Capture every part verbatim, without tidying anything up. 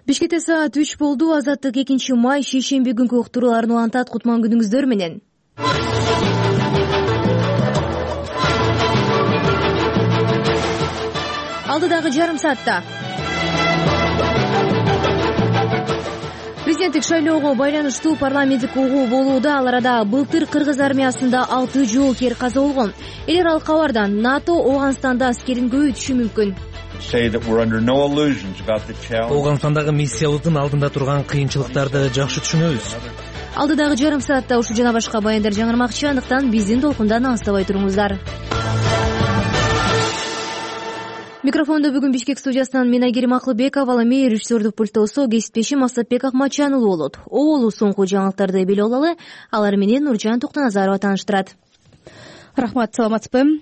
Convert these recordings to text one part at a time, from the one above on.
Бишкекте саат үч болду. Азаттык экинчи май шейшемби күнкү уктурууларын улантат. Кутман күнүңүздөр менен. Алдыдагы жарым саатта президенттик шайлоого байланыштуу парламенттик угуу болууда. Ал арада былтыр кыргыз армиясында алты жоокер каза болгон. Эл аралык кабардан НАТО Ооганстанда аскерин көбөйтүшү мүмкүн. Ооганстандагы миссиябыздын алдында турган кыйынчылыктарды жакшы түшүнөбүз. Алдыдагы жарым саатта ушул жана башка баяндар жаңырмакчы, андыктан биздин толкундан алыстабай туруңуздар. Микрофондо бүгүн Бишкек студиясынан мен Айгерим Акылбеков, ал эми режиссердук пульттосо кесиптешим Асатбек Акматжан уулу болот. Оболу соңку жаңылыктарды билип алалы. Алар менен Нуржан Токтоназарова тааныштырат. Рахмат, саламатсызбы?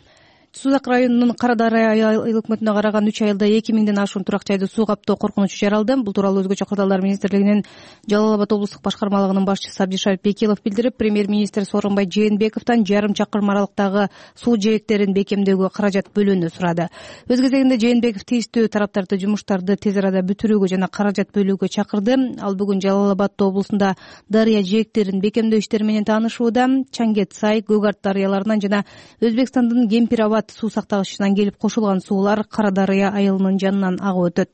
Сузак районунун Кара Дарыя айыл өкмөтүнө караган үч айылда эки миңден ашуун турак жайды суу каптоо коркунучу жаралды. Бул тууралуу Өзгөчө кырдаалдар министрлигинин Жалал Абад облустук башкармалыгынын башчысы Абдишарип Бекилов билдирип, премьер-министр Сооронбай Жээнбековдон жарым чакырым аралыктагы суу жээктерин бекемдөөгө каражат бөлүүнү сурады. Өз кезегинде Жээнбеков тийиштүү тараптарды жумуштарды тез арада бүтүрүүгө жана каражат бөлүүгө чакырды. Ал бүгүн Жалал Абад облусунда дарыя жээктерин бекемдөө иштери менен таанышууда. Чаңгет, Сай, Гөгарт дарыяларынан жана Өзбекстандын Кемпир Абад суу сактагычынан келип кошулган суулар Кара Дарыя айылынын жанынан агып өтөт.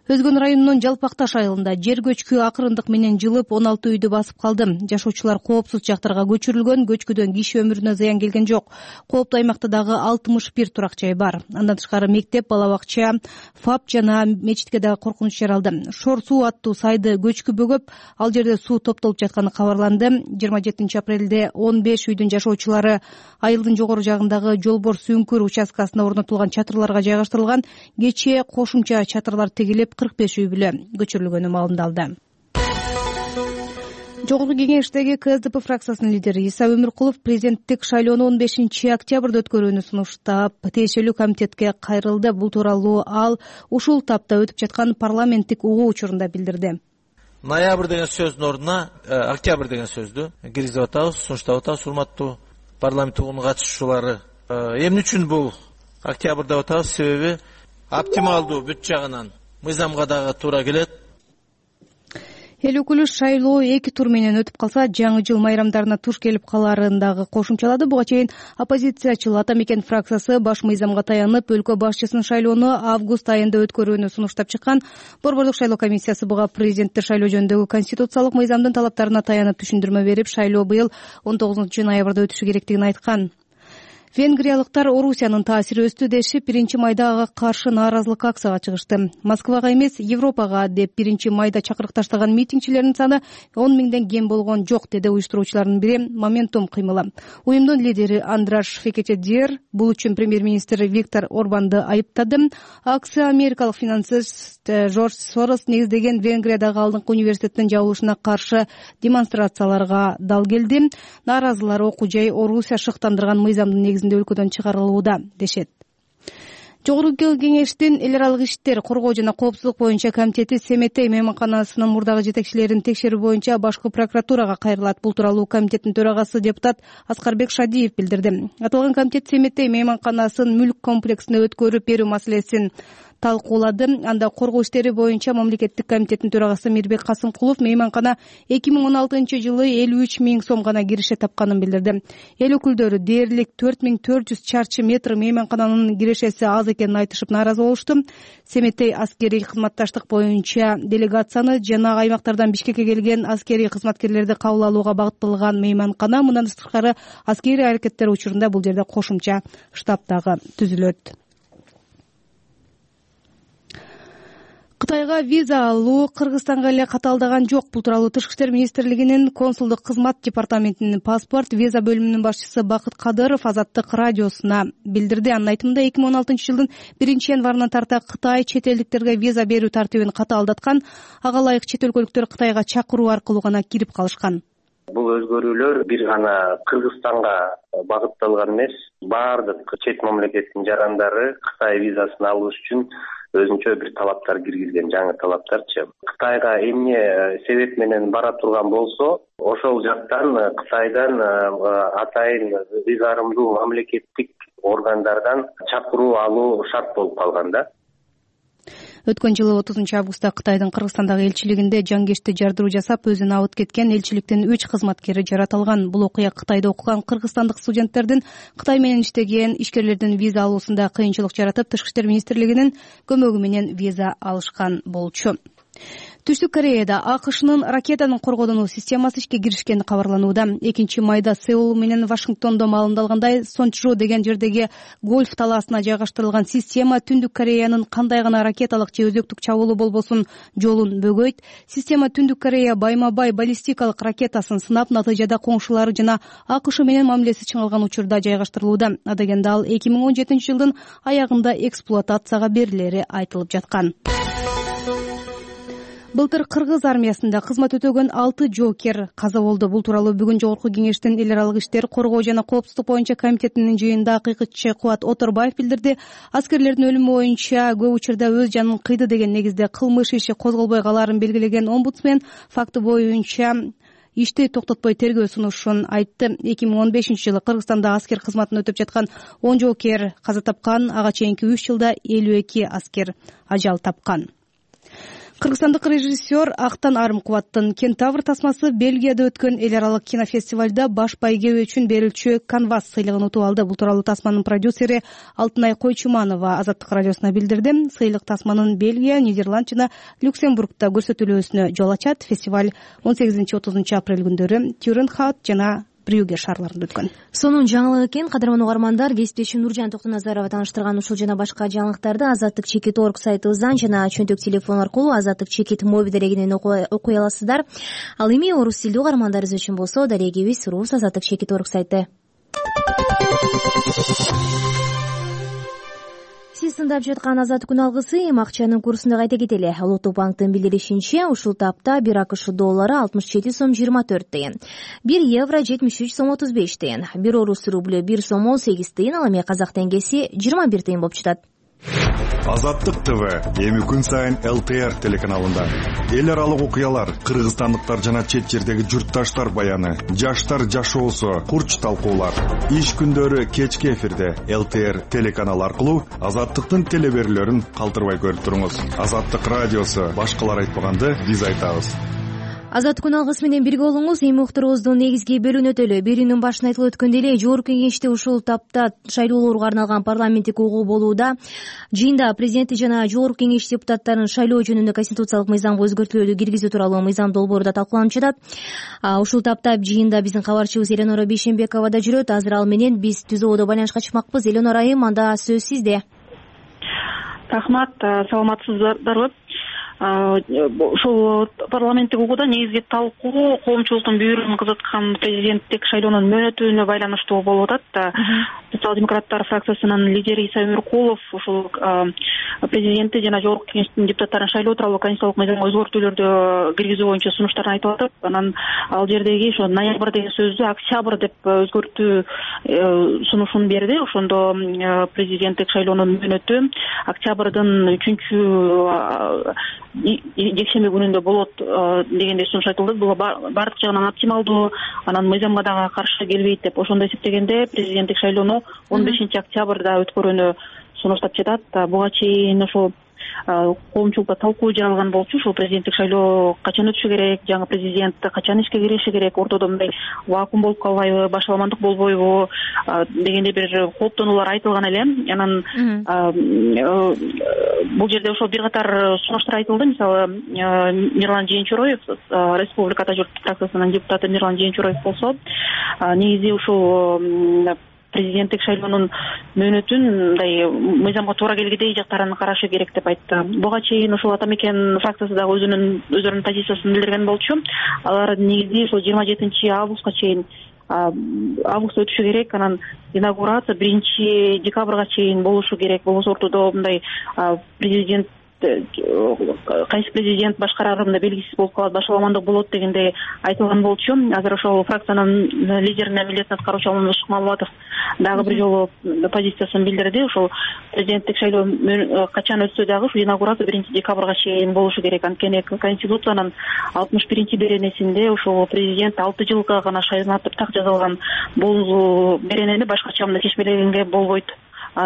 Өзгөн районунун Жалпакташ айылында жер көчкү акырындык менен жылып он алты үйдү басып калды. Жашоочулар коопсуз жактарга көчүрүлгөн. Көчкүдөн киши өмүрүнө зыян келген жок. Кооптуу аймакта дагы алтымыш бир турак жай бар. Андан тышкары мектеп, бала бакча, ФАП жана мечитке дагы коркунуч жаралды. Шор суу аттуу сайды көчкү бөгөп, ал жерде суу топтолуп жатканы кабарланды. жыйырма жетинчи апрелде он беш үйдүн жашоочулары айылдын жогору жагындагы Жолбор Сүңкүр участкасына орнотулган чатырларга жайгаштырылган. Кечээ кошумча чатырлар тегилип кырк беш үй бүлө көчүрүлгөнү маалымдалды. Жогорку кеңештеги КСДП фракциясынын лидери Иса Өмүркулов президенттик шайлоону он бешинчи октябрда өткөрүүнү сунуштап, тиешелүү комитетке кайрылды. Бул тууралуу ал ушул тапта өтүп жаткан парламенттик угуу учурунда билдирди. Ноябрь деген сөздүн ордуна октябрь деген сөздү киргизип атабыз, сунуштап атабыз. Урматтуу парламент угуунун катышуучулары, эмне үчүн бул октябрь деп атабыз? Себеби оптималдуу бүт жагынан мыйзамга дагы туура келет. Эл өкүлү шайлоо эки тур менен өтүп калса, жаңы жыл майрамдарына туш келип каларын дагы кошумчалады. Буга чейин оппозициячыл Ата Мекен фракциясы баш мыйзамга таянып, өлкө башчысынын шайлоону август айында өткөрүүнү сунуштап чыккан. Борбордук шайлоо комиссиясы буга президентти шайлоо жөнүндөгү конституциялык мыйзамдын талаптарына таянып түшүндүрмө берип, шайлоо быйыл он тогузунчу ноябрда өтүшү керектигин айткан. Венгриялыктар Орусиянын таасири өстү дешип, биринчи майда ага каршы нааразылык акцияга чыгышты. Москвага эмес, Европага деп биринчи майда чакырык таштаган митингчилердин саны он миңден кем болгон жок, деди уюштуруучулардын бири Моментум кыймылы. Уюмдун лидери Андраш Фекетедир бул үчүн премьер-министр Виктор Орбанды айыптады. Акция америкалык финансист Жорж Сорос негиздеген Венгриядагы алдыңкы университеттин жабылышына каршы демонстрацияларга дал келди. Нааразылар окуу жай Орусия шыктандырган мыйзамдын негизинде өлкөдөн чыгарылууда дешет. Жогорку кеңештин эл аралык иштер, коргоо жана коопсуздук боюнча комитети Семетей мейманканасынын мурдагы жетекчилерин текшерүү боюнча башкы прокуратурага кайрылат. Бул тууралуу комитеттин төрагасы депутат Аскарбек Шадиев билдирди. Аталган комитет Семетей мейманканасын мүлк комплексине өткөрүп берүү маселесин талкуулады. Анда коргоо иштери боюнча мамлекеттик комитеттин төрагасы Мирбек Касымкулов мейманкана эки миң он алтынчы жылы элүү үч миң сом гана киреше тапканын билдирди. Эл өкүлдөрү дээрлик төрт миң төрт жүз чарчы метр мейманкананын кирешеси аз экенин айтышып нааразы болушту. Семетей аскерий кызматташтык боюнча делегацияны жана аймактардан Бишкекке келген аскерий кызматкерлерди кабыл алууга багытталган мейманкана. Мындан тышкары аскерий аракеттер учурунда бул жерде кошумча штаб дагы түзүлөт. Кытайга виза алуу Кыргызстанга эле катаалдаган жок. Бул тууралуу Тышкы иштер министрлигинин консулдук кызмат департаментинин паспорт виза бөлүмүнүн башчысы Бакыт Кадыров Азаттык радиосуна билдирди. Анын айтымында эки миң он алтынчы жылдын биринчи январынан тарта Кытай чет элдиктерге виза берүү тартибин катаалдаткан. Ага ылайык чет өлкөлүктөр Кытайга чакыруу аркылуу гана кирип калышкан. Бул өзгөрүүлөр бир гана Кыргызстанга багытталган эмес, баардык чет мамлекеттин жарандары Кытай визасын алыш үчүн өзүнчө бир талаптар киргизген, жаңы талаптарчы. Кытайга эмне себеп менен бара турган болсо, ошол жактан Кытайдан атайын визарымдуу мамлекеттик органдардан чакыруу алуу шарт болуп калган да. Өткөн жылы отузунчу августта Кытайдын Кыргызстандагы элчилигинде жангешти жардыруу жасап өзүн абыт кеткен элчиликтин үч кызматкери жаратылган. Бул окуя Кытайда окуган кыргызстандык студенттердин Кытай менен иштеген ишкерлердин виза алуусунда кыйынчылык жаратып, Тышкы иштер министрлигинин көмөгү менен виза алышкан болчу. Түштүк Кореяда АКШнын ракетанын коргонуу системасы ишке киришкени кабарланууда. экинчи майда Сеул менен Вашингтондо маалымдалгандай, Сончжу деген жердеги гольф талаасына жайгаштырылган система Түндүк Кореянын кандай гана ракеталык же өзөктүк чабуулу болбосун жолун бөгөйт. Система Түндүк Корея байма-бай баллистикалык ракетасын сынап, натыйжада коңшулары жана АКШ менен мамилеси чыңалган учурда жайгаштырылууда. Адегенде ал эки миң он жетинчи жылдын аягында эксплуатацияга берилери айтылып жаткан. Былтыр Кыргыз армиясында кызмат өтөгөн алты жоокер каза болду. Бул тууралуу бүгүн Жогорку Кеңештин эл аралык иштер, коргоо жана коопсуздук боюнча комитетинин жыйынында акыйкатчы Кубат Оторбаев билдирди. Аскерлердин өлүмү боюнча көп учурда өз жанын кыйды деген негизде кылмыш иши козголбой калаарын белгилеген омбудсмен факты боюнча ишти токтотпой тергөө сунушун айтты. эки миң он бешинчи жылы Кыргызстанда аскер кызматын өтөп жаткан он жоокер каза тапкан, ага чейинки үч жылда элүү эки аскер ажал тапкан. Кыргызстандык режиссер Актан Арымкубаттын Кентавр тасмасы Бельгияда өткөн эл аралык кинофестивалда баш байгеби үчүн берилчү Канвас сыйлыгын утуп алды. Бул тууралуу тасманын продюсери Алтынай Койчуманова Азаттык радиосуна билдирди. Сыйлык тасманын Бельгия, Нидерланд жана Люксембургда көрсөтүлүүсүнө жол ачат. Фестиваль он сегизинчи отузунчу апрель күндөрү Тюренхаут жана Брюге шаарларында өткөн. Сонун жаңылык экен. Кадырман угармандар, кесиптешим Нуржан Токтоназарова тааныштырган ушул жана башка жаңылыктарды Азаттык чекит точка орг сайтыбыздан жана чөнтөк телефон аркылуу Азаттык чекит моби дарегинен окуй аласыздар. Ал эми орус тилдүү угармандарыбыз үчүн болсо дарегибиз рус Азаттык чекит точка орг сайты. Сиз тыңдап жаткан Азаттык күн алгысы эми акчанын курсунда кайта кетели. Улуттук банктын билдиришинче, ушул тапта бир АКШ доллары алтымыш жети сом жыйырма төрт тыйын, бир евро жетимиш үч сом отуз беш тыйын, бир орус рублю бир сом он сегиз тыйын, ал эми казак теңгеси жыйырма бир тыйын болуп жатат. Азаттык ТВ эми күн сайын эл тэ эр телеканалында эл аралык окуялар, кыргызстандыктар жана чет жердеги журтташтар баяны, жаштар жашоосу, курч талкуулар. Иш күндөрү кечки эфирде эл тэ эр телеканалы аркылуу Азаттыктын телеберүүлөрүн калтырбай көрүп туруңуз. Азаттык радиосу, башкалар айтпаганды биз айтабыз. Азаттык күн алгысы менен бирге болуңуз. Эми уктуруубуздун негизги бөлүгүнө өтөлү. Берүүнүн башында айтылып өткөндөй эле, Жогорку Кеңеште ушул тапта шайлоолорго арналган парламенттик угуу болууда. Жыйында президенти жана Жогорку Кеңеш депутаттарын шайлоо жөнүндө конституциялык мыйзамга өзгөртүүлөрдү киргизүү тууралуу мыйзам долбоору да талкууланып жатат. Ушул тапта жыйында биздин кабарчыбыз Эленора Бейшенбекова да жүрөт. Азыр ал менен биз түз ободо байланышка чыкмакпыз. Эленора айым, анда сөз сизде. Рахмат, саламатсыздарбы? Ушул парламенттик угууда негизги талкуу коомчулуктун бүйүрүгүн кызыткан президенттик шайлоонун мөөнөтүнө байланыштуу болуп атат. Социал-демократтар фракциясынын лидери Иса Өмүркулов ушул президенти жана Жогорку Кеңештин депутаттарын шайлоо тууралуу конституциялык мыйзамга өзгөртүүлөрдү киргизүү боюнча сунуштарын айтып атып, анан ал жердеги ошо ноябрь деген сөздү октябрь деп өзгөртүү сунушун берди. Ошондо президенттик шайлоонун мөөнөтү октябрдын үчүнчү жекшемби күнүндө болот дегендей сунуш айтылды. Бул баардык жагынан оптималдуу, анан мыйзамга дагы каршы келбейт деп ошондо эсептегенде президенттик шайлоону он бешинчи октябрда өткөрүүнү сунуштап жатат. Буга чейин ошол коомчулукта талкуу жаралган болчу. Ушул президенттик шайлоо качан өтүшү керек, жаңы президент качан ишке кириши керек, ортодо мындай вакуум болуп калбайбы, башаламандык болбойбу дегендей бир кооптонуулар айтылган эле. Анан бул жерде ошол бир катар сунуштар айтылды. Мисалы, Мирлан Жээнчуроев, Республика Журт фракциясынын депутаты Мирлан Жээнчуроев болсо, негизи ушул президенттик шайлоонун мөөнөтүн мындай мыйзамга туура келгидей жактарын карашы керек деп айтты. Буга чейин ушул Ата Мекен фракциясы дагы өзүнүн өздөрүнүн позициясын билдирген болчу. Алар негизи ушул жыйырма жетинчи августка чейин август өтүшү керек, анан инаугурация биринчи декабрга чейин болушу керек. Болбосо ортодо мындай президент кайсы президент башкарары мындай белгисиз болуп калат, башаламандык болот дегенде айтылган болчу. Азыр ошол фракциянын лидеринин милдетин аткаруучу Алмазбек Шыкмамбулатов дагы бир жолу позициясын билдирди. Ошол президенттик шайлоо качан өтсө дагы ушу инаугурация биринчи декабрга чейин болушу керек. Анткени Конституциянын алтымыш биринчи беренесинде ошол президент алты жылга гана шайланып так жазылган. Бул беренени башкача мындай чечмелегенге болбойт.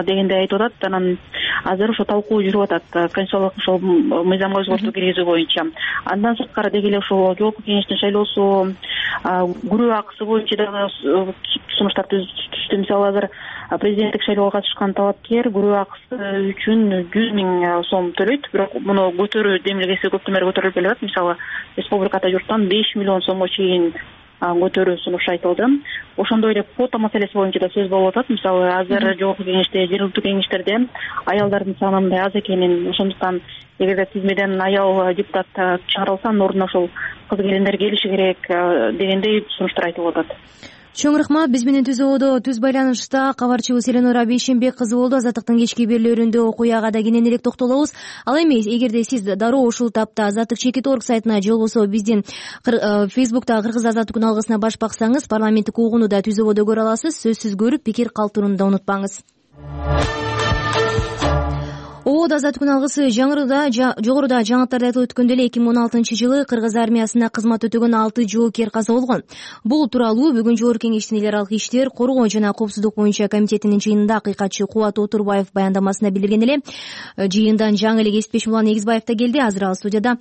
дегендей айтып атат. Анан азыр ошо талкуу жүрүп атат конституциялык ошол мыйзамга өзгөртүү киргизүү боюнча. Андан сырткары деги эле ошол жогорку кеңештин шайлоосу күрөө акысы боюнча дагы сунуштар түздү. Мисалы азыр президенттик шайлоого катышкан талапкер күрөө акысы үчүн жүз миң сом төлөйт, бирок муну көтөрүү демилгеси көптөн бери көтөрүлүп келет. Мисалы республикада журттан беш миллион сомго чейин көтөрүү сунушу айтылды. Ошондой эле квота маселеси боюнча да сөз болуп атат. Мисалы азыр жогорку кеңеште, жергиликтүү кеңештерде аялдардын саны мындай аз экенин, ошондуктан эгерде тизмеден аял депутат чыгарылса, анын ордуна ошол кыз келиндер келиши керек дегендей сунуштар айтылып атат. Чоң рахмат. Биз менен түз ободо түз байланышта кабарчыбыз Эленора Бейшембек кызы болду. Азаттыктын кечки берүүлөрүндө окуяга да кенен элек токтолобуз. Ал эми эгерде сиз дароо ушул тапта Азаттык чекит точка орг сайтына же болбосо биздин Фейсбукта Кыргыз азаттык күн алгысына баш баксаңыз, парламенттик угууну да түз ободо көрө аласыз. Сөзсүз көрүп, пикир калтырууну да унутпаңыз. Обод азаттык күн алгысы жаңырда жогоруда жаңылыктарда айтылып өткөндөй эле эки миң он алтынчы жылы Кыргыз армиясына кызмат өтөгөн алты жоокер каза болгон. Бул тууралуу бүгүн жогорку кеңештин эл аралык иштер, коргоо жана коопсуздук боюнча комитетинин жыйынында акыйкатчы Кубат Отурбаев баяндамасында билдирген эле. Жыйындан жаңы эле кесиптешим Улан Эгизбаев да келди. Азыр ал студияда.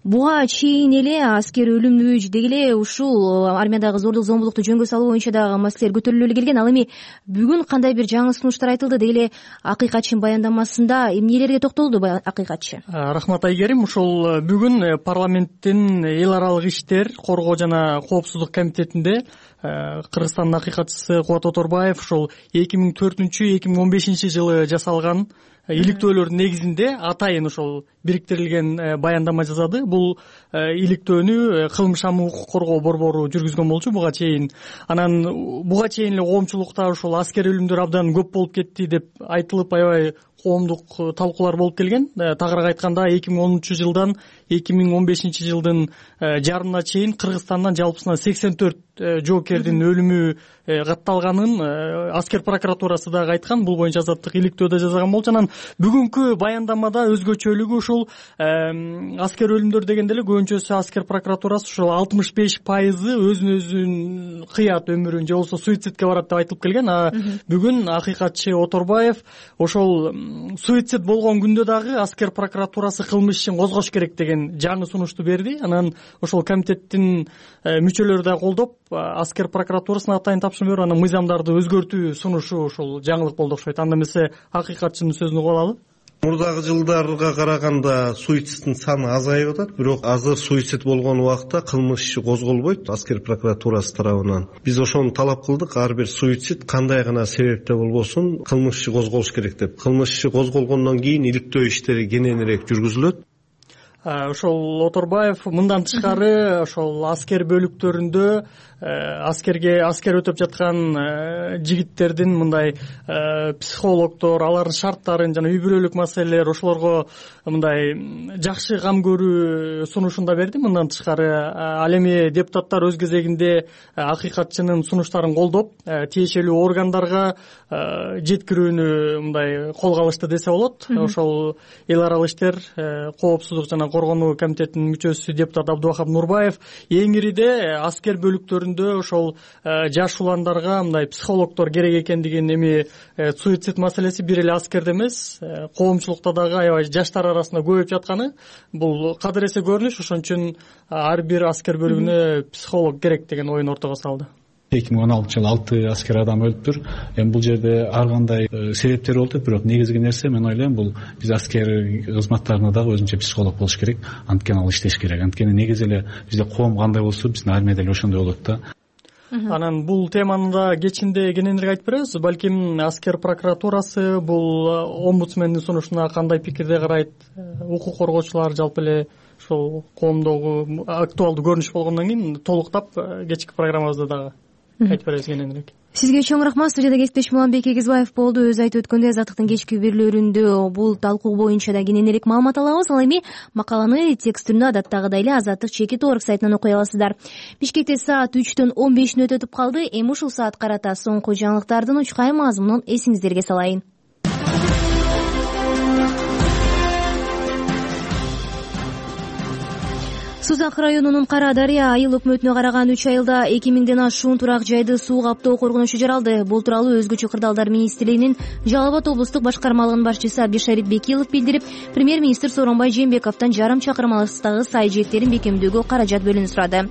Буга чейин эле аскер өлүмү деги эле ушул армиядагы зордук зомбулукту жөнгө салуу боюнча дагы маселелер көтөрүлүп келген. Ал эми бүгүн кандай бир жаңы сунуштар айтылды деги эле акыйкатчынын баяндамасында эмнелерге токтолду акыйкатчы? Рахмат Айгерим. Ушул бүгүн парламенттин эл аралык иштер, коргоо жана коопсуздук комитетинде Кыргызстандын акыйкатчысы Кубат Отурбаев ушул эки миң төртүнчү эки миң он бешинчи жылы жасалган иликтөөлөрдүн негизинде атайын ошол бириктирилген баяндама жасады. Бул иликтөөнү кылмыш амын укук коргоо борбору жүргүзгөн болчу буга чейин. Анан буга чейин эле коомчулукта ошол аскер өлүмдөр абдан көп болуп кетти деп айтылып, аябай коомдук талкуулар болуп келген. Тагыраак айтканда эки миң онунчу жылдан эки миң он бешинчи жылдын жарымына чейин Кыргызстандан жалпысынан сексен төрт жоокердин өлүмү катталганын аскер прокуратурасы дагы айткан. Бул боюнча азаттык иликтөөдө жазган болчу. Анан бүгүнкү баяндамада өзгөчөлүгү ушул аскер өлүмдөр дегенде эле көбүнчөсү аскер прокуратурасы ушул алтымыш беш пайызы өзүн өзүн кыят өмүрүн же болбосо суицидке барат деп айтылып келген. А бүгүн акыйкатчы Отурбаев ошол суицид болгон күндө дагы аскер прокуратурасы кылмыш ишин козгош керек деген жаңы сунушту берди. Анан ошол комитеттин мүчөлөрү да колдоп аскер прокуратурасына атайын тапшырма берип, анан мыйзамдарды өзгөртүү сунушу ушул жаңылык болду окшойт. Анда эмесе акыйкатчынын сөзүн угуп алалы. Мурдагы жылдарга караганда суицидтин саны азайып атат, бирок азыр суицид болгон убакта кылмыш иши козголбойт аскер прокуратурасы тарабынан. Биз ошону талап кылдык, ар бир суицид кандай гана себепте болбосун кылмыш иши козголуш керек деп. Кылмыш иши козголгондон кийин иликтөө иштери кененирээк жүргүзүлөт. Ошол Отурбаев мындан тышкары ошол аскер бөлүктөрүндө аскерге аскер өтөп жаткан жигиттердин мындай психологдор, алардын шарттарын жана үй бүлөлүк маселелер, ошолорго мындай жакшы кам көрүү сунушун да берди. Мындан тышкары ал эми депутаттар өз кезегинде акыйкатчынын сунуштарын колдоп, тиешелүү органдарга жеткирүүнү мындай колго алышты десе болот. Ошол эл аралык иштер, коопсуздук жана коргонуу комитетинин мүчөсү депутат Абдубахап Нурбаев эң ириде аскер бөлүктөрүндө ошол жаш уландарга мындай психологдор керек экендигин, эми суицид маселеси бир эле аскерде эмес, коомчулукта дагы аябай жаштар арасында көбөйүп жатканы бул кадыресе көрүнүш. Ошон үчүн ар бир аскер бөлүгүнө психолог керек деген оюн ортого салды. эки миң он алтынчы жылы алты аскер адам өлүптүр. Эми бул жерде ар кандай себептер болуп, бирок негизги нерсе мен ойлойм бул биз аскер кызматтарына дагы өзүнчө психолог болуш керек. Анткени ал иштеш керек. Анткени негизи эле бизде коом кандай болсо биздин армияда эле ошондой болот да. Анан бул теманы да кечинде кененирээк айтып беребиз. Балким аскер прокуратурасы бул омбудсмендин сунушуна кандай пикирде карайт? Укук коргоочулар жалпы эле ошол коомдогу актуалдуу көрүнүш болгондон кийин толуктап кечки программабызда дагы айтып беребиз кененирээк. Сизге чоң рахмат. Студияда кесиптешим Уланбек Эгизбаев болду. Өзү айтып өткөндөй, Азаттыктын кечки берүүлөрүндө бул талкуу боюнча да кененирээк маалымат алабыз. Ал эми макаланы текст түрүндө адаттагыдай эле Азаттык чекит точка орг сайтынан окуй аласыздар. Бишкекте саат үчтөн он беш мүнөт өтүп калды. Эми ушул саат карата соңку жаңылыктардын учкай мазмунун эсиңиздерге салайын. Сузак районунун Кара Дарыя айыл өкмөтүнө караган үч айылда эки миңден ашуун турак жайды суу каптоо коргонучу жаралды. Бул тууралуу Өзгөчө кырдаалдар министрлигинин Жалал Абад облустук башкармалыгынын башчысы Абдишарит Бекилов билдирип, премьер-министр Сооронбай Жээнбековдон жарым чакырым алыстагы сай жээктерин бекемдөөгө каражат бөлүүнү сурады.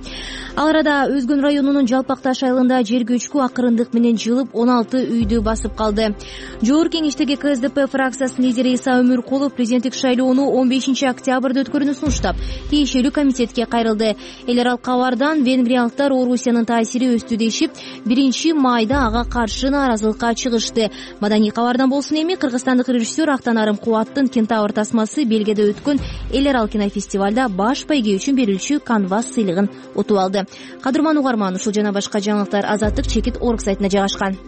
Ал арада Өзгөн районунун Жалпак Таш айылында жер көчкү акырындык менен жылып он алты үйдү басып калды. Жогорку кеңештеги К С Д П фракциясынын лидери Иса Өмүркулов президенттик шайлоону он бешинчи октябрда өткөрүүнү сунуштап, тиешелүү комитетке кайрылды. Эл аралык кабардан венгриялыктар Орусиянын таасири өстү дешип, биринчи майда ага каршы нааразылыкка чыгышты. Маданий кабардан болсун эми кыргызстандык режиссер Актанарым Кубаттын Кентавр тасмасы Белгияда өткөн эл аралык кинофестивалда баш байге үчүн берилүүчү канвас сыйлыгын утуп алды. Кадырман угарман, ушул жана башка жаңылыктар Азаттык чекит орг сайтына жайгашкан.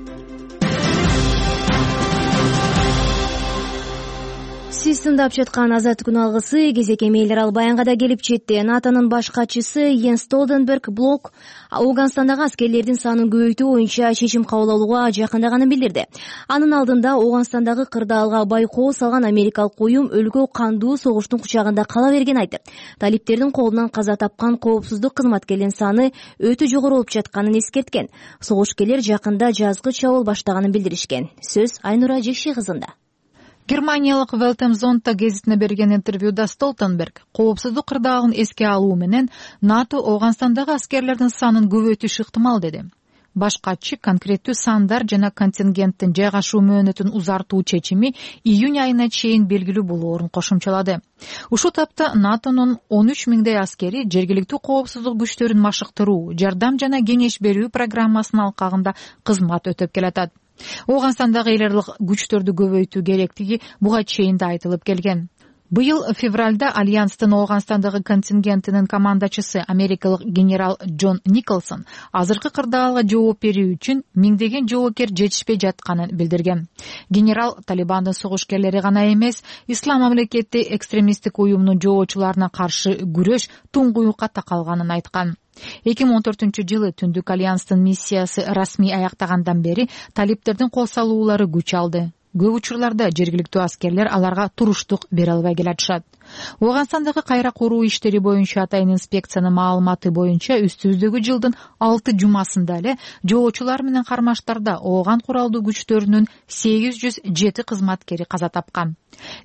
Сиз тыңдап жаткан Азаттык күн алгысы кезек эми эл аралык баянга да келип жетти. НАТОнун баш катчысы Йенс Столтенберг блок Ауганстандагы аскерлердин санын көбөйтүү боюнча чечим кабыл алууга жакындаганын билдирди. Анын алдында Ауганстандагы кырдаалга байкоо салган америкалык уюм өлкө кандуу согуштун кучагында кала бергенин айтып, талиптердин колунан каза тапкан коопсуздук кызматкерлеринин саны өтө жогору болуп жатканын эскерткен. Согушкерлер жакында жазгы чабуул баштаганын билдиришкен. Сөз Айнура Жекши кызында. Германиялык Велтемзонтта гезитине берген интервьюда Столтенберг коопсуздук кырдаалын эске алуу менен НАТО Ауганстандагы аскерлердин санын көбөйтүш ыктымал деди. Баш катчы конкреттүү сандар жана контингенттин жайгашуу мөөнөтүн узартуу чечими июнь айына чейин белгилүү болоорун кошумчалады. Ушул тапта НАТОнун он үч миңдей аскери жергиликтүү коопсуздук күчтөрүн машыктыруу, жардам жана кеңеш берүү программасынын алкагында кызмат өтөп келатат. Ауганстандагы эл аралык күчтөрдү көбөйтүү керектиги буга чейин да айтылып келген. Быйыл февралда Альянстын Ауганстандагы контингентинин командачысы америкалык генерал Джон Николсон азыркы кырдаалга жооп берүү үчүн миңдеген жоокер жетишпей жатканын билдирген. Генерал Талибандын согушкерлери гана эмес, Ислам мамлекети экстремисттик уюмунун жоочуларына каршы күрөш туңгуюкка такалганын айткан. эки миң он төртүнчү жылы Түндүк Альянстын миссиясы расмий аяктагандан бери талиптердин кол салуулары күч алды. Көп учурларда жергиликтүү аскерлер аларга туруштук бере албай келатышат. Ауганстандагы кайра куруу иштери боюнча атайын инспекциянын маалыматы боюнча үстүбүздөгү жылдын алты жумасында эле жоочулар менен кармаштарда ооган куралдуу күчтөрүнүн сегиз жүз жети кызматкери каза тапкан.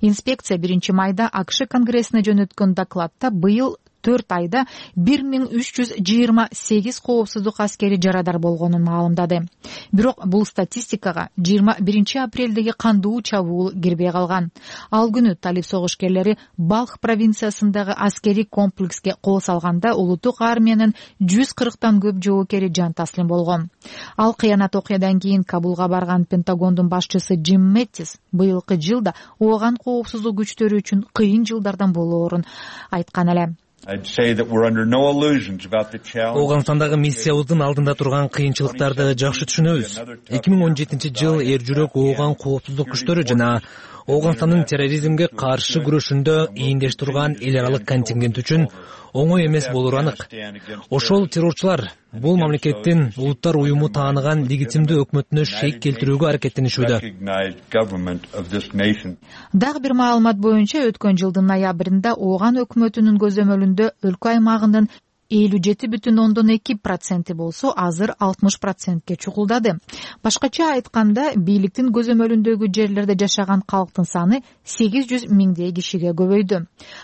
Инспекция биринчи майда АКШ Конгрессине жөнөткөн докладта быйыл төрт айда бир миң үч жүз жыйырма сегиз коопсуздук аскери жарадар болгонун маалымдады. Бирок бул статистикага жыйырма биринчи апрелдеги кандуу чабуул кирбей калган. Ал күнү талип согушкерлери Балх провинциясындагы аскери комплекске кол салганда улуттук армиянын жүз кырктан көп жоокери жан таслим болгон. Ал кыянат окуядан кийин Кабулга барган Пентагондун башчысы Джим Мэттис быйылкы жылда ооган коопсуздук күчтөрү үчүн кыйын жылдардан болоорун айткан эле. Ауганстандагы миссиябыздын алдында турган кыйынчылыктарды жакшы түшүнөбүз. эки миң он жетинчи жыл эр жүрөк ооган коопсуздук күчтөрү жана Ауганстандын терроризмге каршы күрөшүндө ийиндеш турган эл аралык контингент үчүн оңой эмес болору анык. Ошол террорчулар бул мамлекеттин улуттар уюму тааныган легитимдүү өкмөтүнө шейк келтирүүгө аракеттенишүүдө. Дагы бир маалымат боюнча өткөн жылдын ноябрында ооган өкмөтүнүн көзөмөлүндө өлкө аймагынын элүү жети бүтүн ондон эки проценти болсо азыр алтымыш процентке чукулдады. Башкача айтканда, бийликтин көзөмөлүндөгү жерлерде жашаган калктын саны сегиз жүз миңдей кишиге көбөйдү.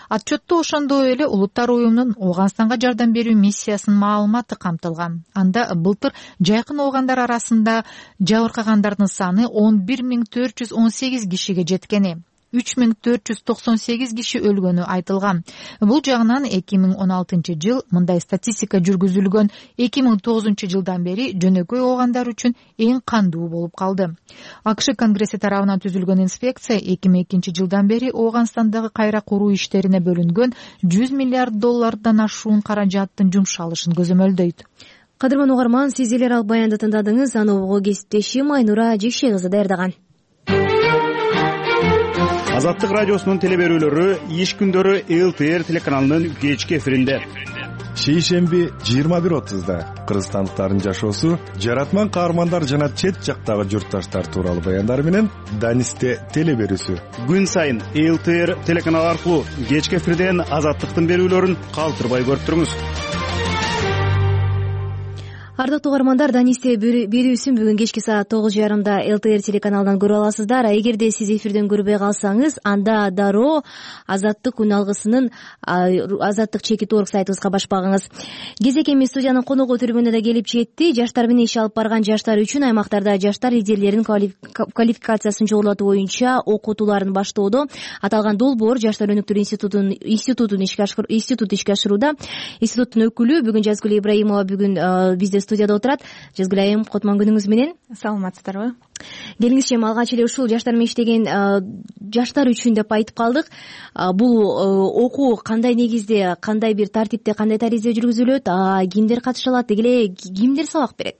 Отчетто ошондой эле улуттар уюмунун Ауганстанга жардам берүү миссиясынын маалыматы камтылган. Анда былтыр жайкын оогандар арасында жабыркагандардын саны он бир миң төрт жүз он сегиз кишиге жеткени. үч миң төрт жүз токсон сегиз киши өлгөнү айтылган. Бул жагынан эки миң он алтынчы жыл мындай статистика жүргүзүлгөн эки миң тогузунчу жылдан бери жөнөкөй оогандар үчүн эң кандуу болуп калды. АКШ Конгресси тарабынан түзүлгөн инспекция эки миң экинчи жылдан бери Ауганстандагы кайра куруу иштерине бөлүнгөн жүз миллиард доллардан ашуун каражаттын жумшалышын көзөмөлдөйт. Кадырман угарман, сиз эл аралык баянды тыңдадыңыз. Аны угуу кесиптешим Айнура Жекши кызы даярдаган. Азаттык радиосунун теле берүүлөрү иш күндөрү эл тэ эр телеканалынын кечки эфиринде. шейшемби жыйырма бир отузда кыргызстандыктардын жашоосу, жаратман каармандар жана чет жактагы журтташтар тууралуу баяндары менен Данисте теле берүүсү. Күн сайын эл тэ эр телеканалы аркылуу кечки эфирден Азаттыктын берүүлөрүн калтырбай көрүп туруңуз. Ардактуу угармандар, Данисте берүүсүн бүгүн кечки саат тогуз жарымда эл тэ эр телеканалынан көрүп аласыздар. Эгерде сиз эфирден көрбөй калсаңыз, анда дароо Азаттык күн алгысынын Азаттык чекит точка орг сайтыбызга башпагыңыз. Кезекеми студиянын коногу түрүмүнө да келип жетти. Жаштар менен иш алып барган жаштар үчүн аймактарда жаштар лидерлеринин квалификациясын жогорулатуу боюнча окутууларын баштоодо аталган долбоор Жаштар өнүктүрүү институтунун институтун ишке институт ишке ашырууда. Институттун өкүлү бүгүн Жазгүл Ибраимова бүгүн бизде студияда отурат. Жазгүл айым, котман күнүңүз менен. Саламатсыздарбы? Келиңизчи, алгач эле ушул жаштар менен иштеген жаштар үчүн деп айтып калдык. Бул окуу кандай негизде, кандай бир тартипте, кандай таризде жүргүзүлөт, кимдер катыша алат, деги эле кимдер сабак берет?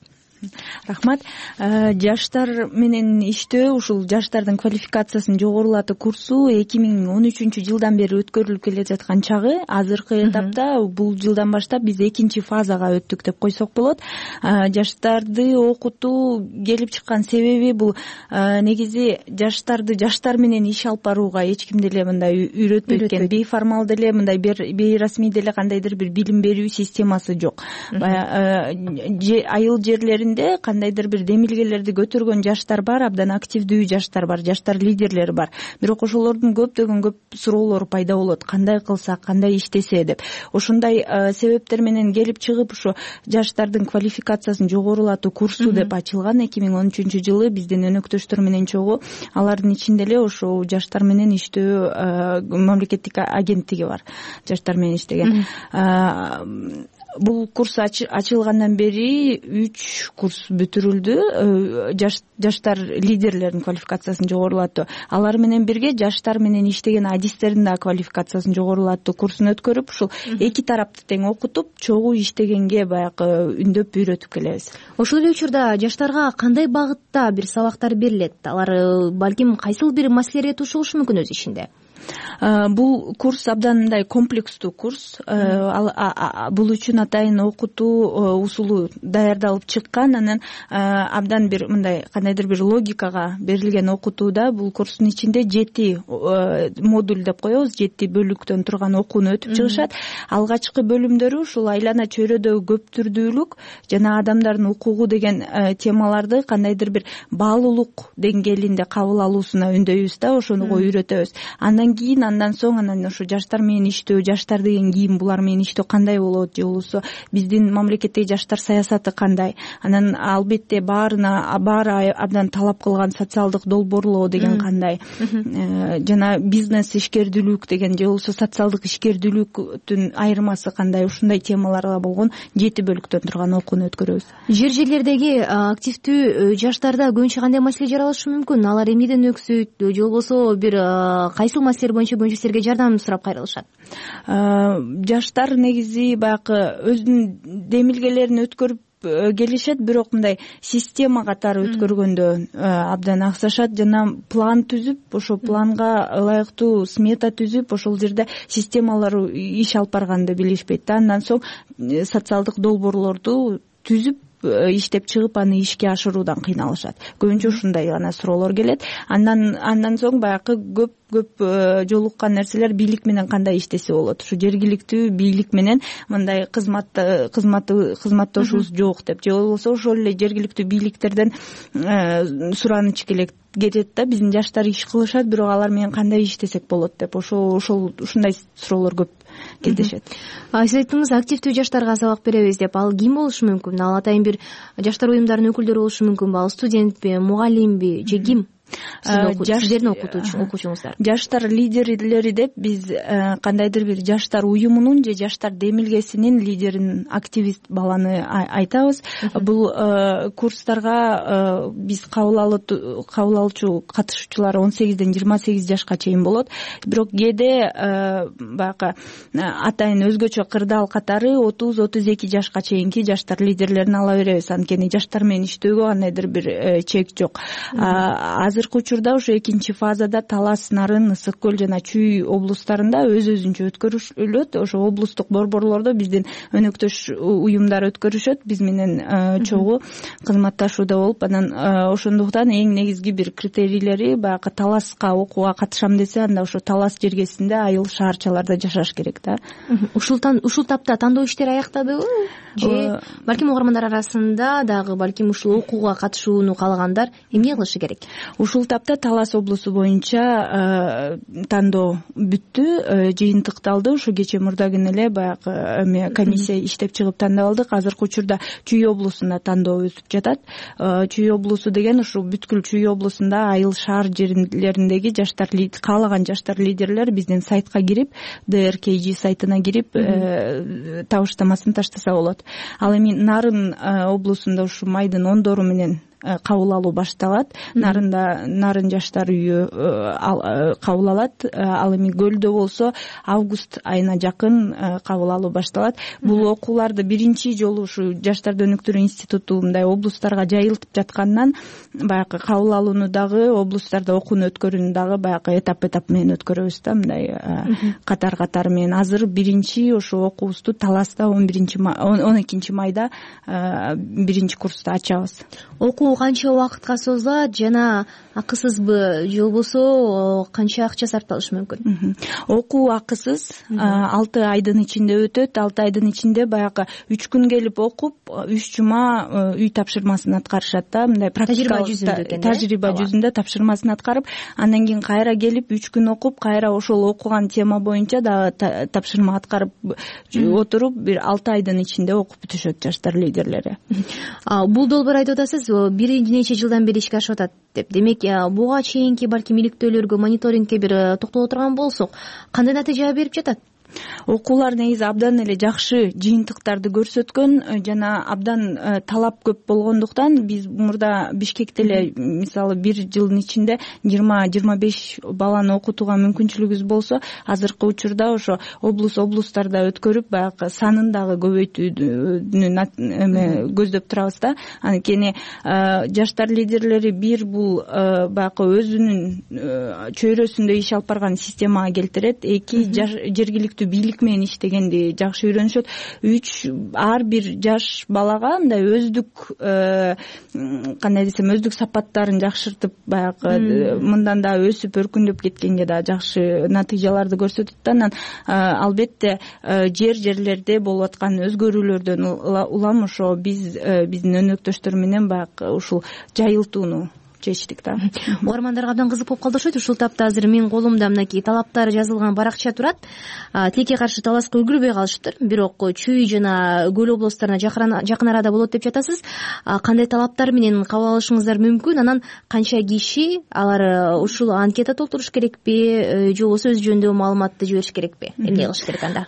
Рахмат. Жаштар менен иштөө, ушул жаштардын квалификациясын жогорулатуу курсу эки миң он үчүнчү жылдан бери өткөрүлүп келе жаткан чагы. Азыркы этапта бул жылдан баштап биз экинчи фазага өттүк деп койсок болот. Жаштарды окутуу келип чыккан себеби бул негизи жаштарды жаштар менен иш алып барууга эч ким деле мындай үйрөтпөйт экен. Бейформал деле, мындай бейрасмий деле кандайдыр бир билим берүү системасы жок. Айыл жерлеринде кандайдыр бир демилгелерди көтөргөн жаштар бар, абдан активдүү жаштар бар, жаштар лидерлери бар. Бирок ошолордун көптөгөн көп суроолору пайда болот. Кандай кылсак, кандай иштесе деп. Ошондой себептер менен келип чыгып, ушу жаштардын квалификациясын жогорулатуу курсу деп ачылган эки миң он үчүнчү жылы биздин өнөктөштөр менен чогуу. Алардын ичинде эле ошол жаштар менен иштөө мамлекеттик агенттиги бар. Жаштар менен иштеген. Бул курс ачылгандан бери үч курс бүтүрүлдү. Жаштар лидерлеринин квалификациясын жогорулатуу, алар менен бирге жаштар менен иштеген адистердин да квалификациясын жогорулатуу курсун өткөрүп, ушул эки тарапты тең окутуп, чогуу иштегенге баягы үндөп үйрөтүп келебиз. Ошол эле учурда жаштарга кандай багытта бир сабактар берилет? Алар балким кайсыл бир маселелерге туш болушу мүмкүн өз ишинде? Бул курс абдан мындай комплекстүү курс. Бул үчүн атайын окутуу усулу даярдалып чыккан. Анан абдан бир мындай кандайдыр бир логикага берилген окутууда бул курстун ичинде жети модуль деп коебуз, жети бөлүктөн турган окууну өтүп чыгышат. Алгачкы бөлүмдөрү ушул айлана чөйрөдөгү көптүрдүүлүк жана адамдардын укугу деген темаларды кандайдыр бир баалуулук деңгээлинде кабыл алуусуна үндөйбүз да, ошону үйрөтөбүз. Андан кийин андан соң анан ушу жаштар менен иштөө, жаштар деген ким, булар менен иштөө кандай болот, же болбосо биздин мамлекеттеги жаштар саясаты кандай. Анан албетте баарына баары абдан талап кылган социалдык долбоорлоо деген кандай, жана бизнес ишкердүүлүк деген, же болбосо социалдык ишкердүүлүктүн айырмасы кандай, ушундай темаларга болгон жети бөлүктөн турган окууну өткөрөбүз. Жер жерлердеги активдүү жаштарда көбүнчө кандай маселе жаралышы мүмкүн? Алар эмнеден өксүйт, же болбосо бир кайсыл маселе боюнча көбүнчө силерге жардам сурап кайрылышат? Жаштар негизи баягы өзүнүн демилгелерин өткөрүп келишет, бирок мындай система катары өткөргөндө абдан аксашат, жана план түзүп, ошол планга ылайыктуу смета түзүп, ошол жерде системалар иш алып барганды билишпейт да. Андан соң социалдык долбоорлорду түзүп иштеп чыгып аны ишке ашыруудан кыйналышат. Көбүнчө ушундай гана суроолор келет. Андан андан соң баягы көп көп жолуккан нерселер бийлик менен кандай иштесе болот. Ушу жергиликтүү бийлик менен мындай кызмат кызматы кызматташуубуз жок деп, же болбосо ошол эле жергиликтүү бийликтерден сураныч келет да, биздин жаштар иш кылышат, бирок алар менен кандай иштесек болот деп, ошол ошол ушундай суроолор көп кездешет. Сиз айттыңыз, активдүү жаштарга сабак беребиз деп. Ал ким болушу мүмкүн? Ал атайын бир жаштар уюмдарынын өкүлдөрү болушу мүмкүнбү? Ал студентпи, мугалимби же ким? Сиздердин окуучуңуздар. Жаштар лидерлери деп биз кандайдыр бир жаштар уюмунун же жаштар демилгесинин лидерин, активист баланы айтабыз. Бул курстарга биз кабыл алуучу катышуучулар он сегизден жыйырма сегиз жашка чейин болот. Бирок кээде баягы атайын өзгөчө кырдаал катары отуз отуз эки жашка чейинки жаштар лидерлерин ала беребиз. Анткени жаштар менен иштөөгө кандайдыр бир чек жок. азыркы учурда ушу экинчи фазада Талас, Нарын, Ысык көл жана Чүй облустарында өз өзүнчө өткөрүлөт. Ошо облустук борборлордо биздин өнөктөш уюмдар өткөрүшөт, биз менен чогуу кызматташууда болуп, анан ошондуктан эң негизги бир критерийлери баягы Таласка окууга катышам десе, анда ошо Талас жергесинде айыл шаарчаларда жашаш керек да. Ушул ушул тапта тандоо иштери аяктадыбы же балким угармандар арасында дагы балким ушул окууга катышууну каалагандар эмне кылышы керек? Ушул тапта Талас облусу боюнча тандоо бүттү, жыйынтыкталды. Ушу кече мурда күнү эле баягы эме комиссия иштеп чыгып тандап алдык. Азыркы учурда Чүй облусунда тандоо өтүп жатат. Чүй облусу деген ушу бүткүл Чүй облусунда айыл шаар жерлериндеги жаштар, каалаган жаштар лидерлер биздин сайтка кирип, ди эр кей жи сайтына кирип табыштамасын таштаса болот. Ал эми Нарын облусунда ушу майдын ондору менен кабыл алуу башталат. Нарында Нарын жаштар үйү кабыл алат. Ал эми Көлдө болсо август айына жакын кабыл алуу башталат. Бул окууларды биринчи жолу ушу жаштарды өнүктүрүү институту мындай облустарга жайылтып жаткандан баягы кабыл алууну дагы облустарда окууну өткөрүүнү дагы баягы этап этап менен өткөрөбүз да, мындай катар катары менен. Азыр биринчи ошо окуубузду Таласта он биринчи он экинчи майда биринчи курсту ачабыз. Окуу канча убакытка созулат жана акысызбы же болбосо канча акча сарпталышы мүмкүн? Окуу акысыз, алты айдын ичинде өтөт. алты айдын ичинде баягы үч күн келип окуп, үч жума үй тапшырмасын аткарышат да, мындай практикалык тажрыйба жүзүндө тапшырмасын аткарып, андан кийин кайра келип үч күн окуп, кайра ошол окуган тема боюнча дагы тапшырма аткарып отуруп, бир алты айдын ичинде окуп бүтүшөт жаштар лидерлери. Бул долбоор айтып атасыз, бир нече жылдан бери ишке ашып атат деп. Демек, буга чейинки балким иликтөөлөргө, мониторингке бир токтоло турган болсок, кандай натыйжа берип жатат? Окуулар негизи абдан эле жакшы жыйынтыктарды көрсөткөн жана абдан талап көп болгондуктан биз мурда Бишкекте эле мисалы бир жылдын ичинде жыйырма жыйырма беш баланы окутууга мүмкүнчүлүгүбүз болсо, азыркы учурда ошо облус облустарда өткөрүп баягы санын дагы көбөйтүүнү көздөп турабыз да. Анткени жаштар лидерлери бир бул баягы өзүнүн чөйрөсүндө иш алып барган системага келтирет, эки жергиликтүү бийлик менен иштегенди жакшы үйрөнүшөт. Үч ар бир жаш балага мындай өздүк кандай десем өздүк сапаттарын жакшыртып баягы мындан да өсүп өркүндөп кеткенге да жакшы натыйжаларды көрсөтөт да. Анан албетте жер жерлерде болуп аткан өзгөрүүлөрдөн улам ошо биз биздин өнөктөштөр менен баягы ушул жайылтууну чечтик да. Угармандарга абдан кызык болуп калды окшойт. Ушул тапта азыр менин колумда мынакей талаптары жазылган баракча турат. Тилекке каршы Таласка үлгүрбөй калышыптыр, бирок Чүй жана Көл облустарына жакын арада болот деп жатасыз. Кандай талаптар менен кабыл алышыңыздар мүмкүн? Анан канча киши алар ушул анкета толтуруш керекпи же болбосо өз жөнүндө маалыматты жибериш керекпи? Эмне кылыш керек анда?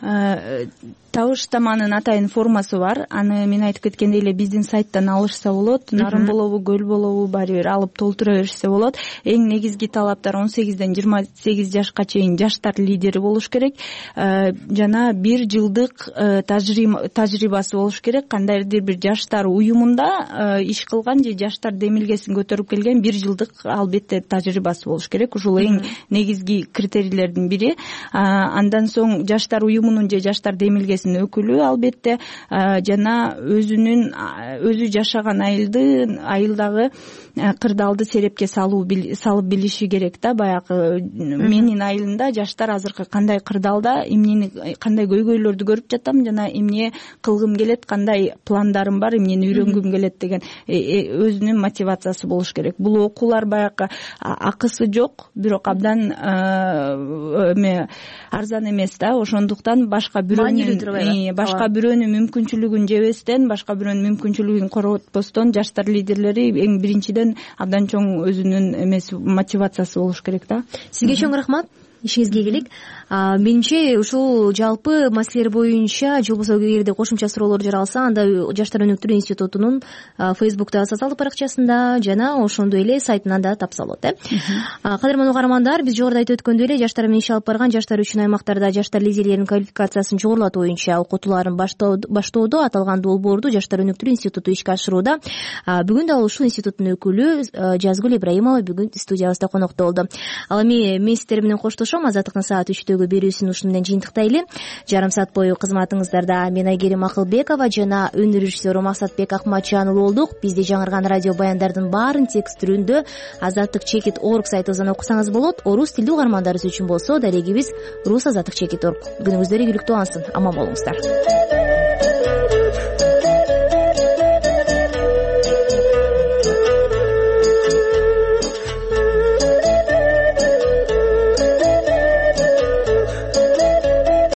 Табыштаманын атайын формасы бар. Аны мен айтып кеткендей эле биздин сайттан алышса болот. Нарын болобу, Көл болобу, баары бир алып толтура беришсе болот. Эң негизги талаптар он сегизден жыйырма сегиз жашка чейин жаштар лидери болуш керек. Жана бир жылдык тажрыйбасы болуш керек. Кандайдыр бир жаштар уюмунда иш кылган же жаштар демилгесин көтөрүп келген бир жылдык албетте тажрыйбасы болуш керек. Ушул эң негизги критерийлердин бири. Андан соң жаштар уюмунун же жаштар демилгесинин өкүлү албетте жана өзүнүн өзү жашаган айылды айылдагы кырдаалды серепке салуу салып билиши керек да. Баягы менин айылымда жаштар азыркы кандай кырдаалда, эмнени кандай көйгөйлөрдү көрүп жатам жана эмне кылгым келет, кандай пландарым бар, эмнени үйрөнгүм келет деген өзүнүн мотивациясы болуш керек. Бул окуулар баягы акысы жок, бирок абдан эме арзан эмес да. Ошондуктан башка бирөөнүн башка бирөөнүн мүмкүнчүлүгүн жебестен, башка бирөөнүн мүмкүнчүлүгүн коротпостон жаштар лидерлери эң биринчиден абдан чоң өзүнүн эмеси мотивациясы болуш керек да. Сизге чоң рахмат. ишиңизге келейик. Менимче ушул жалпы маселелер боюнча же болбосо эгерде кошумча суроолор жаралса, анда Жаштар өнүктүрүү институтунун фейсбуктагы социалдык баракчасында жана ошондой эле сайтынан да тапса болот. Э кадырман угармандар, биз жогоруда айтып өткөндөй эле жаштар менен иш алып барган жаштар үчүн аймактарда жаштар лидерлеринин квалификациясын жогорулатуу боюнча окутууларын баштоодо аталган долбоорду Жаштар өнүктүрүү институту ишке ашырууда. Бүгүн дал ушул институттун өкүлү Жазгүл Ибраимова бүгүн студиябызда конокто болду. Ал эми мен сиздер менен коштошом. Азаттыктын саат үчтөгү берүүсүн ушуну менен жыйынтыктайлы. Жарым саат бою кызматыңыздарда мен Айгерим Акылбекова жана өнөр режиссеру Максатбек Акматжанов болдук. Бизди жаңырган радио баяндардын баарын текст түрүндө азаттык чекит точка орг сайтыбыздан окусаңыз болот. Орус тилдүү угармандарыбыз үчүн болсо дарегибиз рус азаттык чекит точка орг. Күнүңүздөр ийгиликтүү алсын. Аман болуңуздар.